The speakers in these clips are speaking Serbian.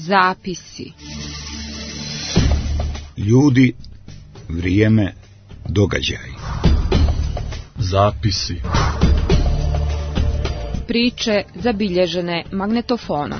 Zapisi. Ljudi, vrijeme, događaj. Zapisi. Priče zabilježene magnetofonom.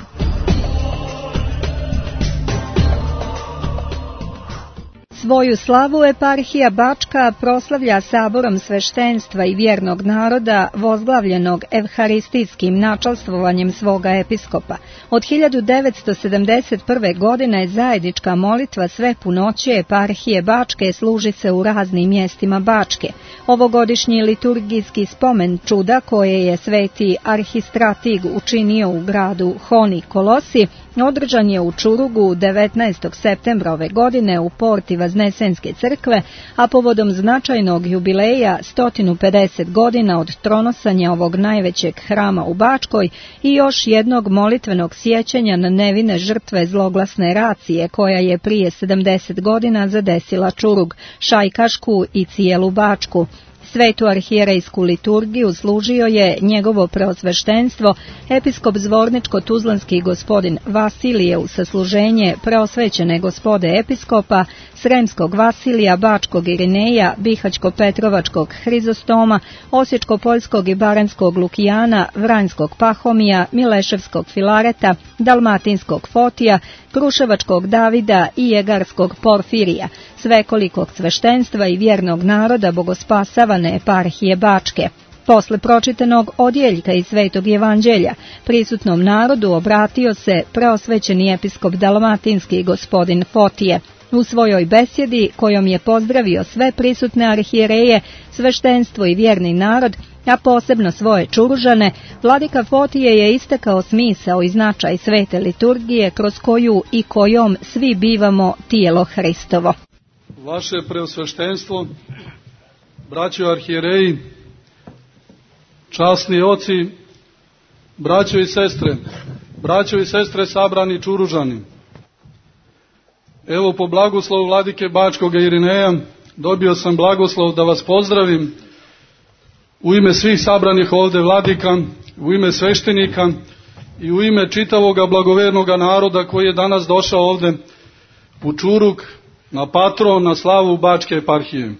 Svoju slavu eparhija Bačka proslavlja saborom sveštenstva i vjernog naroda vozglavljenog evharistijskim načalstvovanjem svoga episkopa. Od 1971. godine zajednička molitva sve punoće eparhije Bačke služi se u raznim mjestima Bačke. Ovogodišnji liturgijski spomen čuda koje je sveti arhistratig učinio u gradu Honi Kolosi održan je u Čurugu 19. septembra ove godine u porti Vaznesenske crkve, a povodom značajnog jubileja 150 godina od tronosanja ovog najvećeg hrama u Bačkoj i još jednog molitvenog sjećanja na nevine žrtve zloglasne racije koja je prije 70 godina zadesila Čurug, Šajkašku i cijelu Bačku. Svetu arhijerejsku liturgiju služio je njegovo preosveštenstvo, episkop Zvorničko-Tuzlanski gospodin Vasilije u sasluženje preosvećene gospode episkopa, Sremskog Vasilija, Bačkog Irineja, Bihaćko-Petrovačkog Hrizostoma, Osječko-Poljskog i Baranjskog Lukijana, Vranjskog Pahomija, Mileševskog Filareta, Dalmatinskog Fotija, Kruševačkog Davida i Jegarskog Porfirija, svekolikog sveštenstva i vjernog naroda bogospasavane eparhije Bačke. Posle pročitanog odjeljka iz Svetog Evanđelja, prisutnom narodu obratio se preosvećeni episkop Dalmatinski gospodin Fotije. U svojoj besjedi, kojom je pozdravio sve prisutne arhijereje, sveštenstvo i vjerni narod, a posebno svoje Čuružane, vladika Fotije je istakao smisao i značaj svete liturgije kroz koju i kojom svi bivamo tijelo Hristovo. Vaše preosveštenstvo, braćo arhijereji, časni oci, braćo i sestre sabrani Čuružani. Evo po blagoslovu vladike Bačkog Irineja dobio sam blagoslov da vas pozdravim u ime svih sabranih ovdje vladika, u ime sveštenika i u ime čitavoga blagovernoga naroda koji je danas došao ovdje u Čurug na patron, na slavu Bačke eparhije.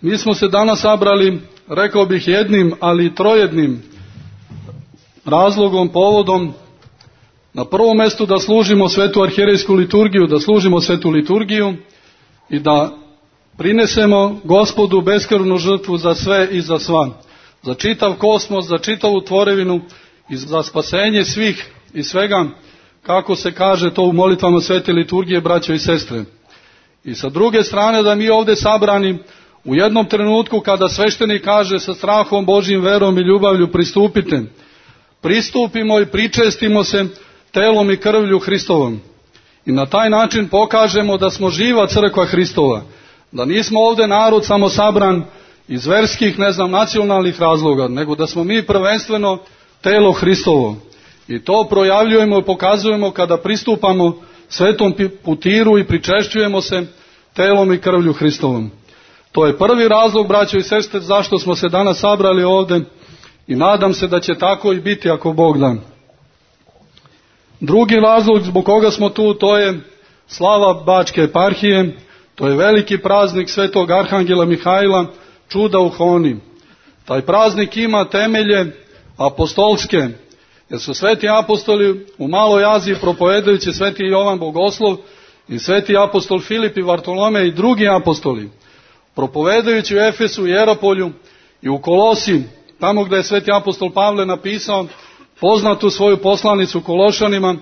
Mi smo se danas sabrali, rekao bih jednim, ali i trojednim razlogom, povodom. Na prvom mjestu da služimo svetu arhijerejsku liturgiju, da služimo svetu liturgiju i da prinesemo Gospodu beskrvnu žrtvu za sve i za sva, za čitav kosmos, za čitavu tvorevinu i za spasenje svih i svega, kako se kaže to u molitvama svete liturgije, braćo i sestre. I sa druge strane da mi ovdje sabrani u jednom trenutku kada sveštenik kaže sa strahom Božjim, verom i ljubavlju pristupimo i pričestimo se telom i krvlju Hristovom. I na taj način pokažemo da smo živa crkva Hristova, da nismo ovdje narod samo sabran iz verskih, nacionalnih razloga, nego da smo mi prvenstveno telo Hristovo. I to projavljujemo i pokazujemo kada pristupamo svetom putiru i pričešćujemo se telom i krvlju Hristovom. To je prvi razlog, braćo i sestre, zašto smo se danas sabrali ovdje i nadam se da će tako i biti ako Bog da. Drugi razlog zbog koga smo tu, to je slava Bačke eparhije, to je veliki praznik svetog arhangela Mihajla, čuda u Honi. Taj praznik ima temelje apostolske, jer su sveti apostoli u Maloj Aziji propovedajući sveti Jovan Bogoslov i sveti apostol Filip i Vartolome i drugi apostoli, propovedajući u Efesu i Jeropolju i u Kolosi, tamo gdje je sveti apostol Pavle napisao poznatu svoju poslanicu Kološanima,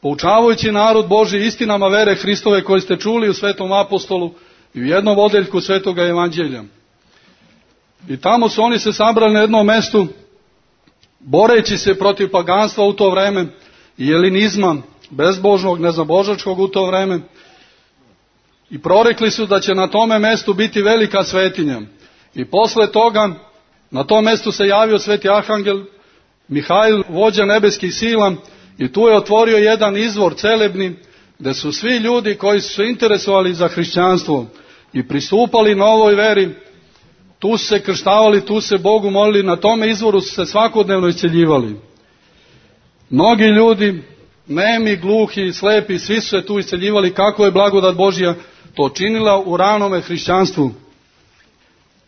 poučavajući narod Božji istinama vere Hristove koje ste čuli u svetom apostolu i u jednom odjeljku svetoga Evanđelja. I tamo su oni se sabrali na jednom mjestu, boreći se protiv paganstva u to vreme i jelinizma, bezbožnog, nezabožačkog u to vreme, i prorekli su da će na tome mjestu biti velika svetinja. I posle toga na tom mjestu se javio sveti arhangel Mihajl, vođa nebeskih sila, i tu je otvorio jedan izvor celebni, gdje su svi ljudi koji su se interesovali za hrišćanstvo i pristupali novoj veri, tu su se krštavali, tu se Bogu molili, na tome izvoru su se svakodnevno isceljivali. Mnogi ljudi nemi, gluhi, slepi, svi su se tu isceljivali, kako je blagodat Božja to činila u ranome hrišćanstvu.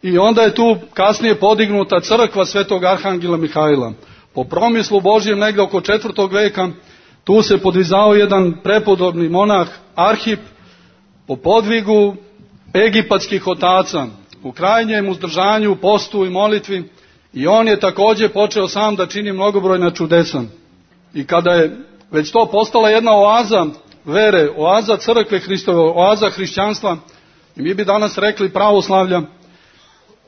I onda je tu kasnije podignuta crkva svetog arhangela Mihajla. Po promislu Božjem negdje oko 4. veka tu se podvizao jedan prepodobni monah Arhip po podvigu egipatskih otaca, u krajnjem uzdržanju, postu i molitvi, i on je također počeo sam da čini mnogobrojna čudesa. I kada je već to postala jedna oaza vere, oaza crkve Hristove, oaza hrišćanstva, i mi bi danas rekli pravoslavlja,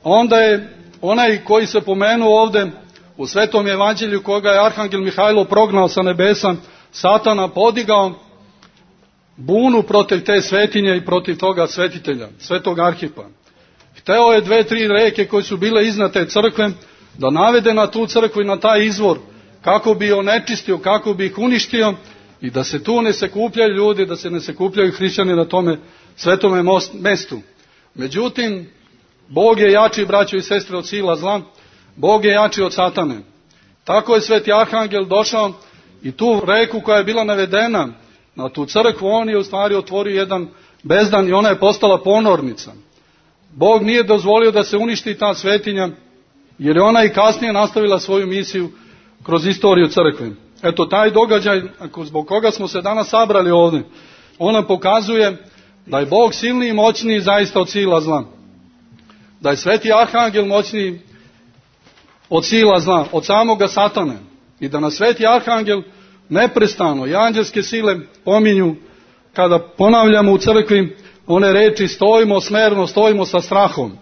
onda je onaj koji se pomenuo ovdje u Svetom evanđelju, koga je arhangel Mihajlo prognao sa nebesa, Satana, podigao bunu protiv te svetinje i protiv toga svetitelja, svetog Arhipa. Hteo je 2-3 reke koje su bile iznad te crkve da navede na tu crkvu i na taj izvor, kako bi onečistio, kako bi ih uništio, i da se tu ne sakupljaju ljudi, da se ne sakupljaju hrišćani na tome svetome mestu. Međutim, Bog je jači, braćo i sestre, od sila zla. Bog je jači od Satane. Tako je sveti arhangel došao i tu reku koja je bila navedena na tu crkvu, on je u stvari otvorio jedan bezdan i ona je postala ponornica. Bog nije dozvolio da se uništi ta svetinja, jer je ona i kasnije nastavila svoju misiju kroz istoriju crkve. Eto, taj događaj, zbog koga smo se danas sabrali ovdje, ona pokazuje da je Bog silniji i moćniji zaista od sila zla. Da je sveti arhangel moćniji od sila zla, od samoga Satane. I da nas sveti arhangel neprestano i anđelske sile pominju kada ponavljamo u crkvi one reči stojimo smerno, stojimo sa strahom.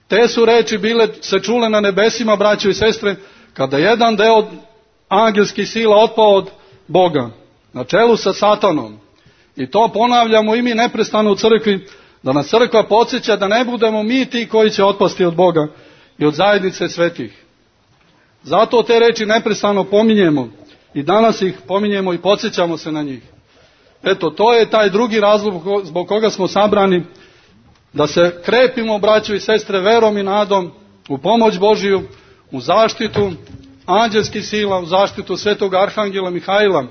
Te su reči bile se čule na nebesima, braćo i sestre, kada jedan deo angelskih sila otpao od Boga, na čelu sa Satanom. I to ponavljamo i mi neprestano u crkvi, da nas crkva podsjeća da ne budemo mi ti koji će otpasti od Boga i od zajednice svetih. Zato te reči neprestano pominjemo i danas ih pominjemo i podsjećamo se na njih. Eto, to je taj drugi razlog zbog koga smo sabrani, da se krepimo, braćo i sestre, verom i nadom u pomoć Božiju, u zaštitu anđelskih sila, u zaštitu svetog arhangela Mihajla,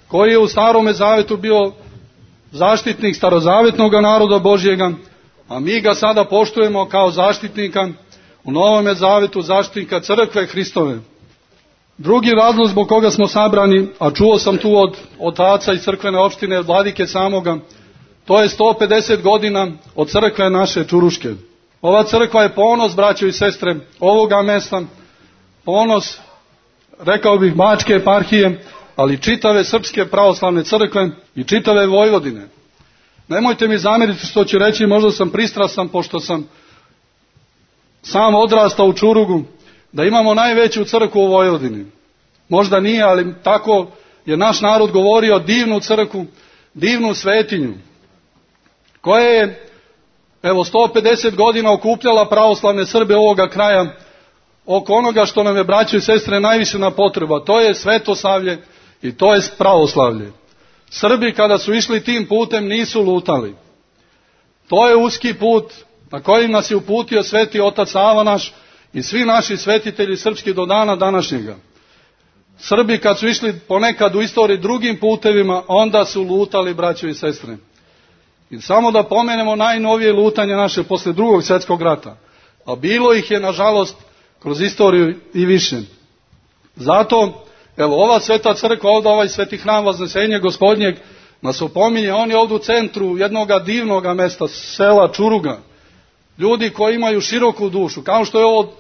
koji je u Starome zavetu bio zaštitnik starozavetnog naroda Božjega, a mi ga sada poštujemo kao zaštitnika u Novome zavetu, zaštitnika crkve Hristove. Drugi razlog zbog koga smo sabrani, a čuo sam tu od otaca iz crkvene opštine, od vladike samoga, to je 150 godina od crkve naše Čuruške. Ova crkva je ponos, braćo i sestre, ovoga mesta, ponos, rekao bih, Bačke eparhije, ali čitave srpske pravoslavne crkve i čitave Vojvodine. Nemojte mi zameriti što ću reći, možda sam pristrasan, pošto sam sam odrastao u Čurugu, da imamo najveću crkvu u Vojvodini. Možda nije, ali tako je naš narod govorio, divnu crkvu, divnu svetinju, koja je, 150 godina okupljala pravoslavne Srbe ovoga kraja oko onoga što nam je, braćo i sestre, najviše na potreba. To je svetoslavlje i to je pravoslavlje. Srbi kada su išli tim putem nisu lutali. To je uski put na kojim nas je uputio sveti otac Sava naš i svi naši svetitelji srpski do dana današnjega. Srbi kad su išli ponekad u istoriji drugim putevima, onda su lutali, braćo i sestre. I samo da pomenemo najnovije lutanje naše posle Drugog svjetskog rata. A bilo ih je, nažalost, kroz istoriju i više. Zato, ova sveta crkva, ovdje ovaj sveti hram Vaznesenja Gospodnjeg nas opominje, on je ovdje u centru jednoga divnoga mesta, sela Čuruga. Ljudi koji imaju široku dušu, kao što je ovo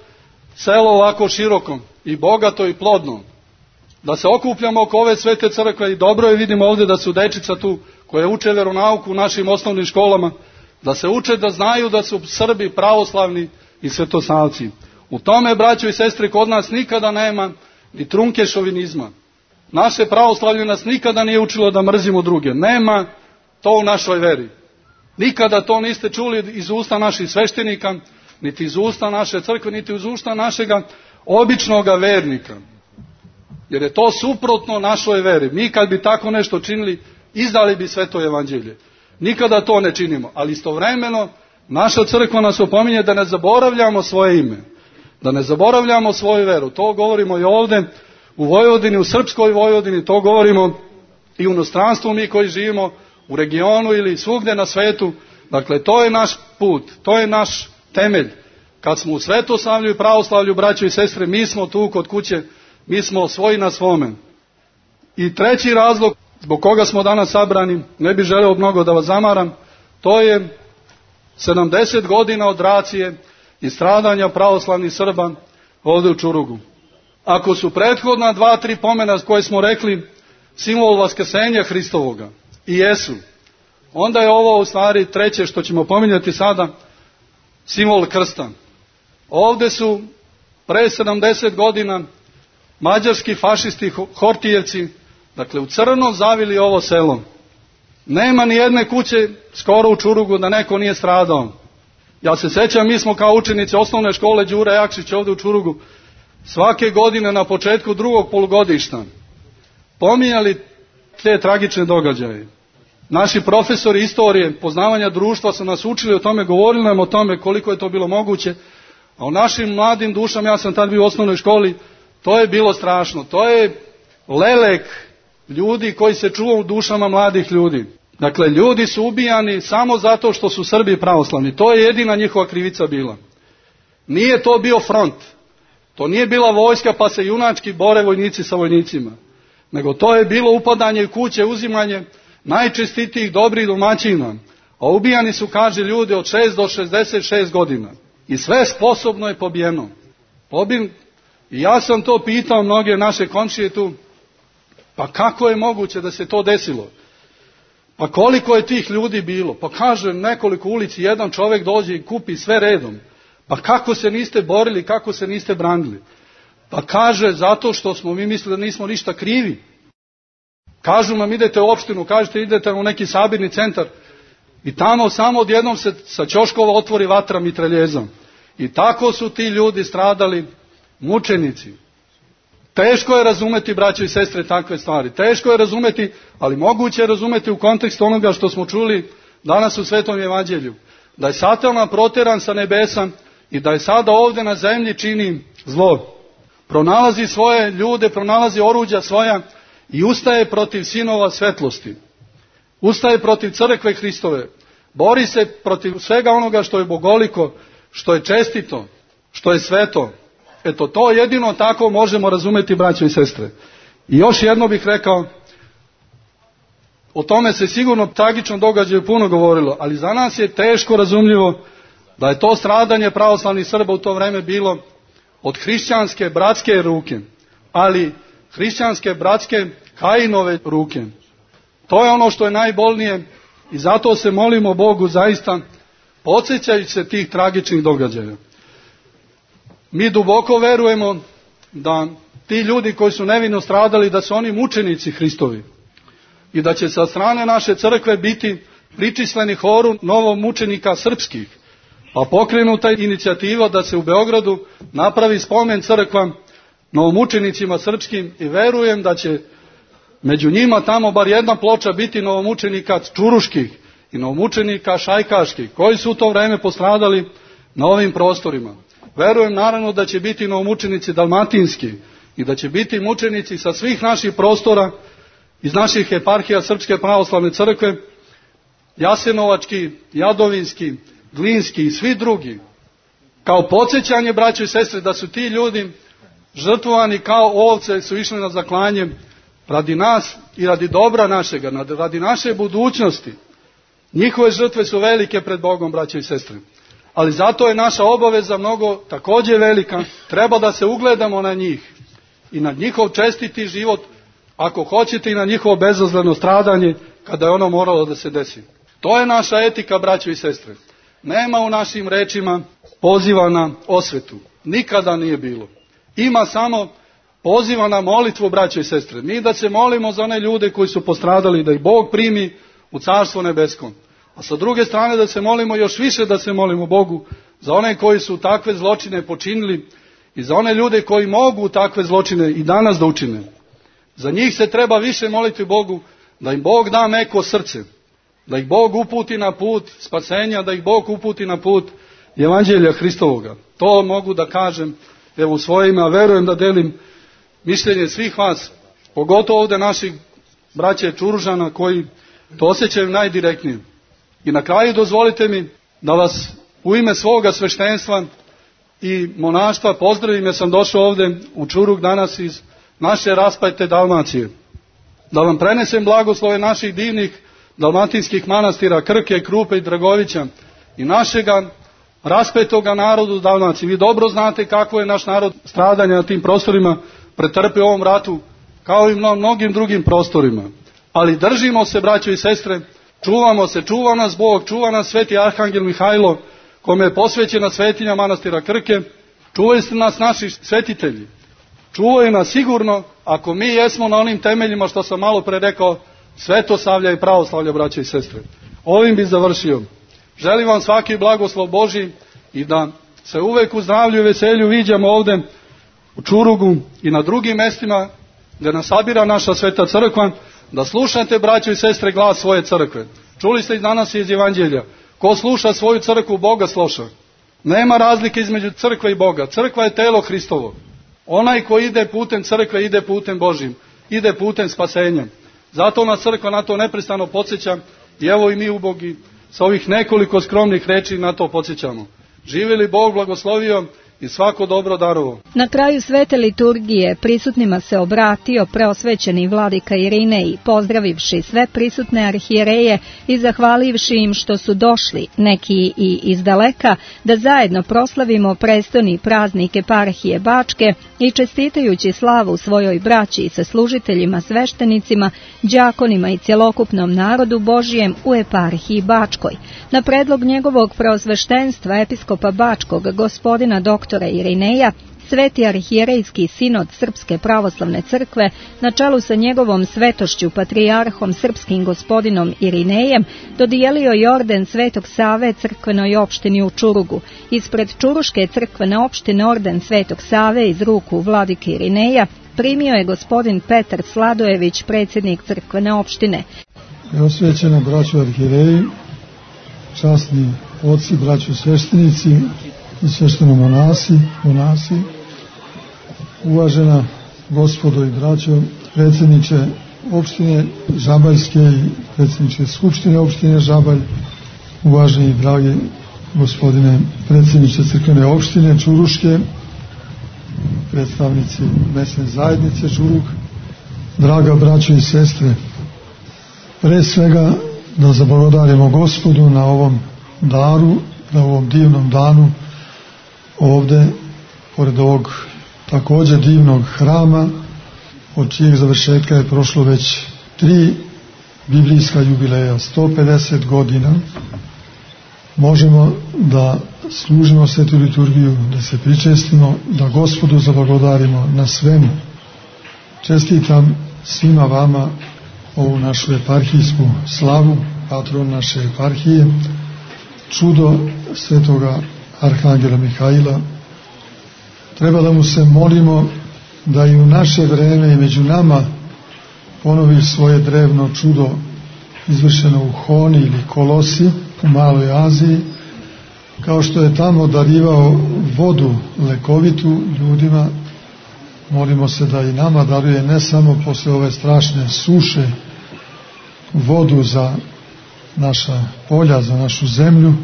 selo ovako široko i bogato i plodno. Da se okupljamo oko ove svete crkve i dobro je, vidimo ovdje da su dečica tu koje uče veronauku u našim osnovnim školama, da se uče da znaju da su Srbi pravoslavni i svetosavci. U tome, braćo i sestre, kod nas nikada nema ni trunke šovinizma. Naše pravoslavlje nas nikada nije učilo da mrzimo druge. Nema to u našoj veri. Nikada to niste čuli iz usta naših sveštenika, niti iz usta naše crkve, niti iz usta našega običnoga vernika. Jer je to suprotno našoj veri. Mi kad bi tako nešto činili, izdali bi sveto evanđelje. Nikada to ne činimo, ali istovremeno naša crkva nas opominje da ne zaboravljamo svoje ime, da ne zaboravljamo svoju veru. To govorimo i ovdje u Vojvodini, u srpskoj Vojvodini, to govorimo i u inostranstvu mi koji živimo u regionu ili svugdje na svetu. Dakle, to je naš put, to je naš temelj. Kad smo u svetoslavlju i pravoslavlju, braćo i sestre, mi smo tu kod kuće, mi smo svoji na svome. I treći razlog zbog koga smo danas sabrani, ne bih želeo mnogo da vas zamaram, to je 70 godina od racije i stradanja pravoslavnih Srba ovdje u Čurugu. Ako su prethodna 2-3 pomena koje smo rekli simbol vaskrsenja Hristovoga i jesu, onda je ovo u stvari treće što ćemo pominjati sada, simbol krsta. Ovdje su pre 70 godina mađarski fašisti Hortijevci, dakle u crno zavili ovo selo. Nema ni jedne kuće skoro u Čurugu da neko nije stradao. Ja se sjećam, mi smo kao učenici osnovne škole Đure Jakšić ovdje u Čurugu svake godine na početku drugog polugodišta pominjali te tragične događaje. Naši profesori istorije, poznavanja društva su nas učili o tome, govorili nam o tome koliko je to bilo moguće, a u našim mladim dušama, ja sam tad bio u osnovnoj školi, to je bilo strašno. To je lelek ljudi koji se čuva u dušama mladih ljudi. Dakle, ljudi su ubijani samo zato što su Srbi pravoslavni. To je jedina njihova krivica bila. Nije to bio front. To nije bila vojska pa se junački bore vojnici sa vojnicima. Nego to je bilo upadanje u kuće, uzimanje najčestitijih dobrih domaćina. A ubijani su, kaže, ljudi od 6 do 66 godina. I sve sposobno je pobijeno. I ja sam to pitao mnoge naše komšije tu, pa kako je moguće da se to desilo? Pa koliko je tih ljudi bilo? Pa kaže, nekoliko ulici, jedan čovjek dođe i kupi sve redom. Pa kako se niste borili, kako se niste branili? Pa kaže, zato što smo mi mislili da nismo ništa krivi. Kažu nam, idete u opštinu, kažete idete u neki sabirni centar i tamo samo odjednom se sa ćoškova otvori vatra mitraljezom. I tako su ti ljudi stradali, mučenici. Teško je razumeti, braćo i sestre, takve stvari. Teško je razumeti, ali moguće je razumeti u kontekstu onoga što smo čuli danas u Svetom evanđelju. Da je Satan proteran sa nebesa i da je sada ovdje na zemlji čini zlo. Pronalazi svoje ljude, pronalazi oruđa svoja i ustaje protiv sinova svetlosti. Ustaje protiv crkve Hristove. Bori se protiv svega onoga što je bogoliko, što je čestito, što je sveto. Eto, to jedino tako možemo razumeti, braćo i sestre. I još jedno bih rekao, o tome se sigurno tragičnom događaju puno govorilo, ali za nas je teško razumljivo da je to stradanje pravoslavnih Srba u to vrijeme bilo od hrišćanske bratske ruke, ali hrišćanske bratske Kajinove ruke. To je ono što je najbolnije i zato se molimo Bogu zaista, podsjećajući se tih tragičnih događaja. Mi duboko verujemo da ti ljudi koji su nevino stradali, da su oni mučenici Hristovi i da će sa strane naše crkve biti pričisleni horu novomučenika srpskih, a pokrenuta inicijativa da se u Beogradu napravi spomen crkva novomučenicima srpskim i verujem da će među njima tamo bar jedna ploča biti novomučenika čuruških i novomučenika šajkaških koji su u to vrijeme postradali na ovim prostorima. Verujem naravno da će biti novomučenici dalmatinski i da će biti mučenici sa svih naših prostora iz naših eparhija Srpske pravoslavne crkve, Jasenovački, Jadovinski, Glinski i svi drugi. Kao podsjećanje, braćo i sestre, da su ti ljudi žrtvovani kao ovce, su išli na zaklanje radi nas i radi dobra našega, radi naše budućnosti. Njihove žrtve su velike pred Bogom, braćo i sestre. Ali zato je naša obaveza mnogo također velika. Treba da se ugledamo na njih i na njihov čestiti život, ako hoćete i na njihovo bezazleno stradanje kada je ono moralo da se desi. To je naša etika, braćo i sestre. Nema u našim rečima poziva na osvetu. Nikada nije bilo. Ima samo poziva na molitvu, braćo i sestre. Mi da se molimo za one ljude koji su postradali, da ih Bog primi u Carstvo nebeskom. A sa druge strane da se molimo još više, da se molimo Bogu za one koji su takve zločine počinili i za one ljude koji mogu takve zločine i danas da učine. Za njih se treba više moliti Bogu da im Bog da meko srce, da ih Bog uputi na put spasenja, da ih Bog uputi na put Evanđelja Hristovoga. To mogu da kažem evo u svoje ime, a verujem da delim mišljenje svih vas, pogotovo ovdje naših braće Čuružana koji to osjećaju najdirektnije. I na kraju dozvolite mi da vas u ime svoga sveštenstva i monaštva pozdravim, jer sam došao ovde u Čurug danas iz naše raspajte Dalmacije. Da vam prenesem blagoslove naših divnih dalmatinskih manastira Krke, Krupe i Dragovića i našega raspetoga narodu u Dalmaciji. Vi dobro znate kako je naš narod stradanja na tim prostorima pretrpeo u ovom ratu, kao i mnogim drugim prostorima. Ali držimo se, braćo i sestre, čuvamo se, čuva nas Bog, čuva nas sveti arhangel Mihajlo, kome je posvećena svetinja manastira Krke, čuvaju nas naši svetitelji. Čuvaju nas sigurno ako mi jesmo na onim temeljima što sam malo pre rekao, svetosavlja i pravoslavlja, braće i sestre. Ovim bi završio. Želim vam svaki blagoslov Božji i da se uvek u zdravlju i veselju viđamo ovde u Čurugu i na drugim mestima gde nas sabira naša sveta crkva, da slušate, braćo i sestre, glas svoje crkve. Čuli ste i danas iz Evanđelja. Ko sluša svoju crkvu, Boga sluša. Nema razlike između crkve i Boga. Crkva je telo Hristovo. Onaj ko ide putem crkve, ide putem Božjim. Ide putem spasenja. Zato nas crkva na to neprestano podsjeća i evo i mi ubogi sa ovih nekoliko skromnih reči na to podsjećamo. Živi li Bog blagoslovio i svako dobro darovo. Na kraju svete liturgije prisutnima se obratio preosvećeni vladika Irinej, pozdravivši sve prisutne arhijereje i zahvalivši im što su došli, neki i izdaleka, da zajedno proslavimo prestoni praznik eparhije Bačke i čestitajući slavu svojoj braći i saslužiteljima, sveštenicima, đakonima i cjelokupnom narodu Božijem u eparhiji Bačkoj. Na predlog njegovog preosveštenstva episkopa Bačkog, gospodina doktora Irineja, Sveti arhijerejski sinod Srpske pravoslavne crkve na čelu sa njegovom svetošću patrijarhom srpskim gospodinom Irinejem dodijelio je orden Svetog Save crkvenoj opštini u Čurugu. Ispred Čuruške crkvene opštine orden Svetog Save iz ruku vladike Irineja primio je gospodin Petar Sladojević, predsjednik crkvene opštine. Osvećena braćo arhijereji, časni oci, braćo sveštenici i svešteno monasi, uvažena gospodo i braćo, predsjedniče opštine Žabaljske i predsjedniče Skupštine opštine Žabalj, uvaženi i dragi gospodine predsjedniče crkvene opštine Čuruške, predstavnici mesne zajednice Čurug, draga braćo i sestre, pre svega da zablagodarimo Gospodu na ovom daru, na ovom divnom danu, ovde, pored ovog također divnog hrama, od čijeg završetka je prošlo već 3 biblijska jubileja, 150 godina, možemo da služimo svetu liturgiju, da se pričestimo, da Gospodu zablagodarimo na svemu. Čestitam svima vama ovu našu eparhijsku slavu, patron naše eparhije, čudo svetoga arhangela Mihajla. Treba da mu se molimo da i u naše vreme i među nama ponovi svoje drevno čudo izvršeno u Honi ili Kolosi u Maloj Aziji, kao što je tamo darivao vodu lekovitu ljudima. Molimo se da i nama daruje ne samo posle ove strašne suše vodu za naša polja, za našu zemlju,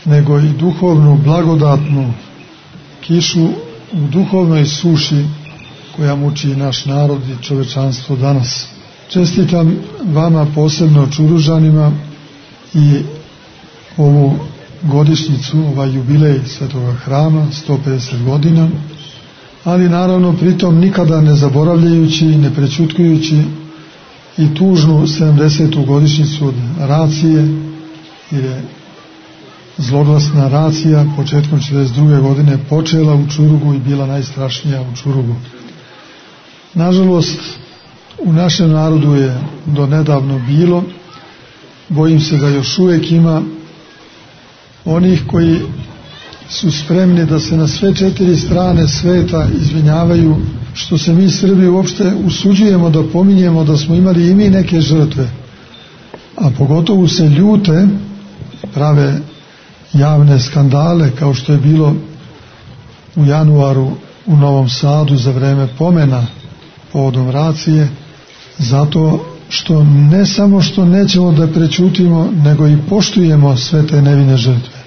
nego i duhovnu, blagodatnu kišu u duhovnoj suši koja muči naš narod i čovečanstvo danas. Čestitam vama posebno Čuružanima i ovu godišnjicu, ovaj jubilej svetoga hrama, 150 godina, ali naravno pritom nikada ne zaboravljajući, ne prećutkujući i tužnu 70. godišnjicu od racije, jer je zloglasna racija početkom 42. godine počela u Čurugu i bila najstrašnija u Čurugu. Nažalost, u našem narodu je do nedavno bilo, bojim se da još uvijek ima onih koji su spremni da se na sve 4 strane sveta izvinjavaju što se mi Srbi uopšte usuđujemo da pominjemo da smo imali i mi neke žrtve, a pogotovo se ljute, prave javne skandale kao što je bilo u januaru u Novom Sadu za vreme pomena povodom racije, zato što ne samo što nećemo da prećutimo, nego i poštujemo sve te nevine žrtve,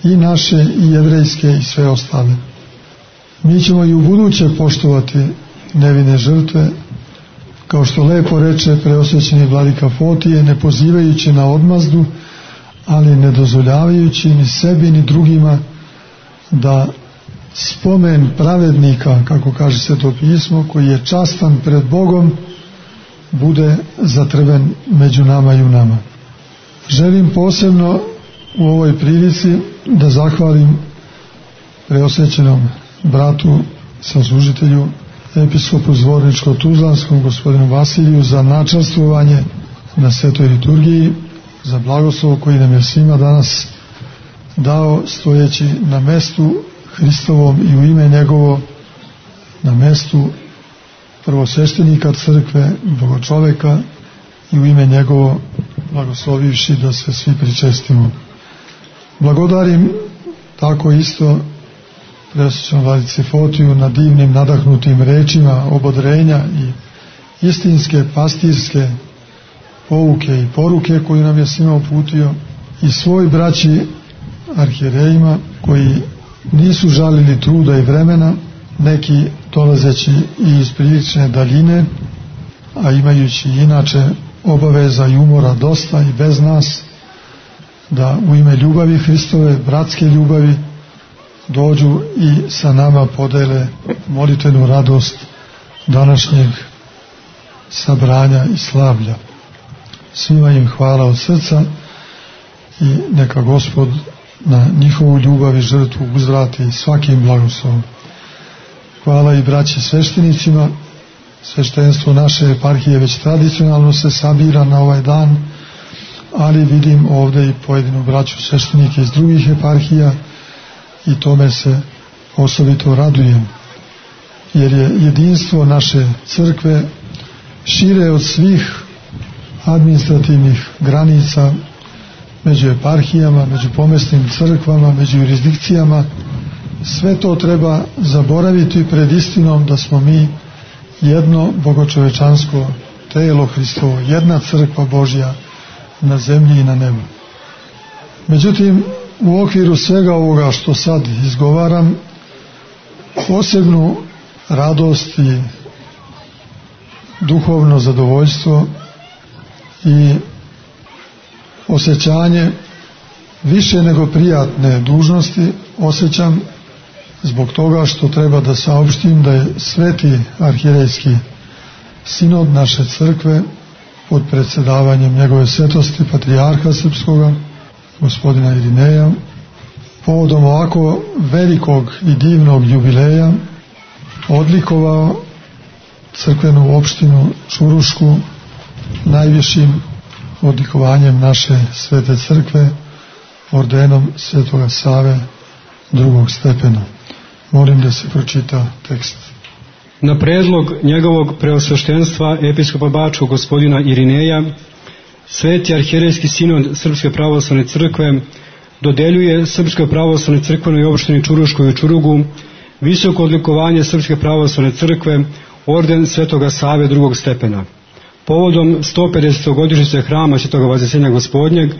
i naše, i jevrejske, i sve ostale. Mi ćemo i u buduće poštovati nevine žrtve, kao što lepo reče preosvećeni vladika Fotije, ne pozivajući na odmazdu, ali ne dozvoljavajući ni sebi ni drugima da spomen pravednika, kako kaže Sveto pismo, koji je častan pred Bogom, bude zatrven među nama i u nama. Želim posebno u ovoj prilici da zahvalim preosvećenom bratu, saslužitelju, episkopu Zvorničko-Tuzlanskom, gospodinu Vasiliju, za načastvovanje na svetoj liturgiji, za blagoslov koji nam je svima danas dao, stojeći na mestu Hristovom i u ime njegovo, na mestu prvosveštenika crkve, bogočoveka, i u ime njegovo blagoslovivši da se svi pričestimo. Blagodarim tako isto preosvećenom vladici Fotiju na divnim nadahnutim rečima obodrenja i istinske pastirske pouke i poruke koju nam je svima uputio, i svoj braći arhijerejima koji nisu žalili truda i vremena, neki dolazeći i iz prilične daljine, a imajući inače obaveza i umora dosta i bez nas, da u ime ljubavi Hristove, bratske ljubavi, dođu i sa nama podele molitvenu radost današnjeg sabranja i slavlja. Svima im hvala od srca i neka Gospod na njihovu ljubav i žrtvu uzvrati svakim blagoslovom. Hvala i braći sveštenicima. Sveštenstvo naše eparhije već tradicionalno se sabira na ovaj dan, ali vidim ovdje i pojedinu braću sveštenike iz drugih eparhija i tome se osobito radujem, jer je jedinstvo naše crkve šire od svih administrativnih granica, među eparhijama, među pomesnim crkvama, među jurisdikcijama. Sve to treba zaboraviti pred istinom da smo mi jedno bogočovečansko telo Hristovo, jedna crkva Božja na zemlji i na nebu. Međutim, u okviru svega ovoga što sad izgovaram, posebnu radost i duhovno zadovoljstvo i osjećanje više nego prijatne dužnosti osjećam zbog toga što treba da saopštim da je Sveti arhijerejski sinod naše crkve pod predsjedavanjem njegove svetosti patrijarha srpskoga, gospodina Irineja, povodom ovako velikog i divnog jubileja odlikovao crkvenu opštinu Čurušku najvišim odlikovanjem naše svete crkve, ordenom Svetoga Save drugog stepena. Molim da se pročita tekst. Na predlog njegovog preosveštenstva episkopa Bačkog gospodina Irineja, Sveti arhijerejski sinod Srpske pravoslavne crkve dodeljuje Srpskoj pravoslavnoj crkvenoj opštini Čuruškoj u Čurugu visoko odlikovanje Srpske pravoslavne crkve, orden Svetoga Save drugog stepena, povodom 150. godišnjice hrama Svetoga Vaznesenja Gospodnjeg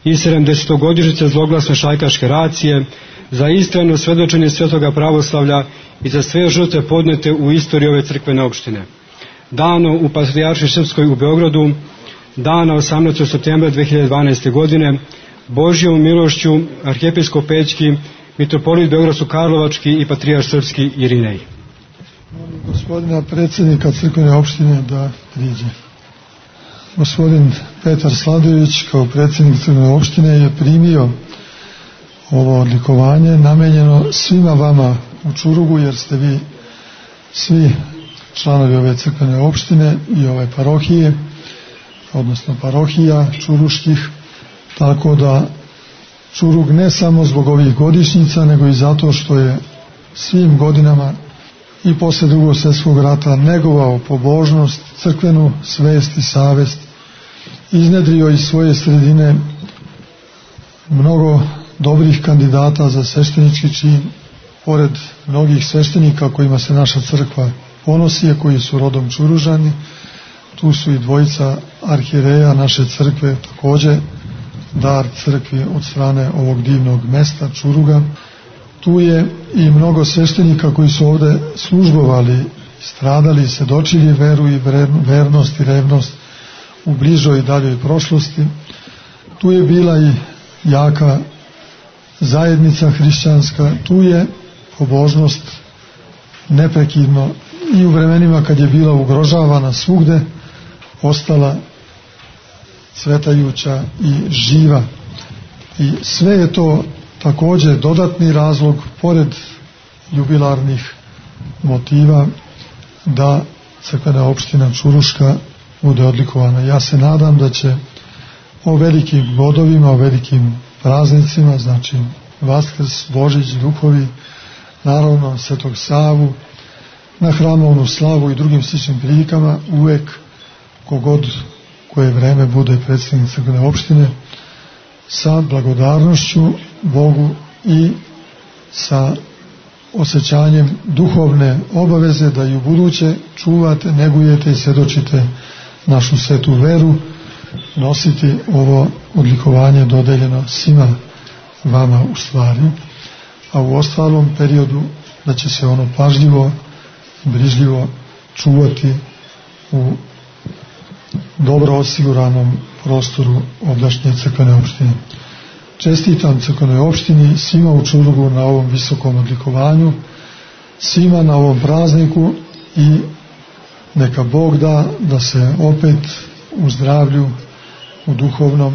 i 70. godišnjice zloglasne šajkaške racije, za istrajno svedočenje Svetoga pravoslavlja i za sve žrtve podnete u istoriji ove crkvene opštine. Dano u Patrijaršiji Srpskoj u Beogradu, dana 18. septembra 2012. godine, Božjom milošću arhijepiskop Pećki, mitropolit Beogradsko-Karlovački i patrijarh srpski Irinej. Molim gospodina predsjednika crkvene opštine da priđe. Gospodin Petar Sladojević kao predsjednik crkvene opštine je primio ovo odlikovanje namenjeno svima vama u Čurugu, jer ste vi svi članovi ove crkvene opštine i ove parohije, odnosno parohija čuruških, tako da Čurug ne samo zbog ovih godišnjica, nego i zato što je svim godinama i posle Drugog svjetskog rata negovao pobožnost, crkvenu svest i savest, iznedrio iz svoje sredine mnogo dobrih kandidata za sveštenički čin, pored mnogih sveštenika kojima se naša crkva ponosi, koji su rodom Čuružani, tu su i dvojica arhijereja naše crkve, također dar crkvi od strane ovog divnog mesta Čuruga. Tu je i mnogo sveštenika koji su ovdje službovali, stradali, svedočili veru i vernost i revnost u bližoj i daljoj prošlosti. Tu je bila i jaka zajednica hrišćanska, tu je pobožnost neprekidno i u vremenima kad je bila ugrožavana svugde ostala cvetajuća i živa. I sve je to također dodatni razlog, pored jubilarnih motiva, da crkvena opština Čuruška bude odlikovana. Ja se nadam da će o velikim godovima, o velikim praznicima, znači Vaskrs, Božić, Duhovi, naravno Svetog Savu, na hramovnu slavu i drugim sličnim prilikama, uvek kogod koje vreme bude predsjednik crkvene opštine, sa blagodarnošću Bogu i sa osjećanjem duhovne obaveze da i u buduće čuvate, negujete i svjedočite našu svetu veru, nositi ovo odlikovanje dodeljeno svima vama u stvari, a u ostalom periodu da će se ono pažljivo, brižljivo čuvati u dobro osiguranom prostoru ovdašnje crkvene opštine. Čestitam crkvenoj opštini, svima u Čurugu na ovom visokom odlikovanju, svima na ovom prazniku i neka Bog da se opet u zdravlju, u duhovnom,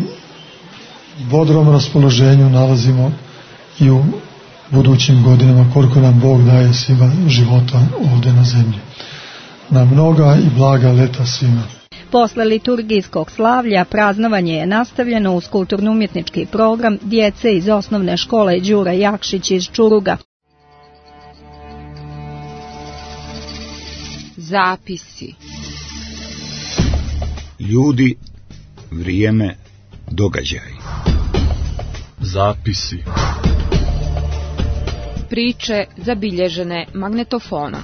bodrom raspoloženju nalazimo i u budućim godinama, koliko nam Bog daje svima života ovdje na zemlji. Na mnoga i blaga leta svima. Posle liturgijskog slavlja praznovanje je nastavljeno uz kulturno-umjetnički program djece iz osnovne škole Đura Jakšić iz Čuruga. Zapisi. Ljudi, vrijeme, događaj. Zapisi. Priče zabilježene magnetofonom.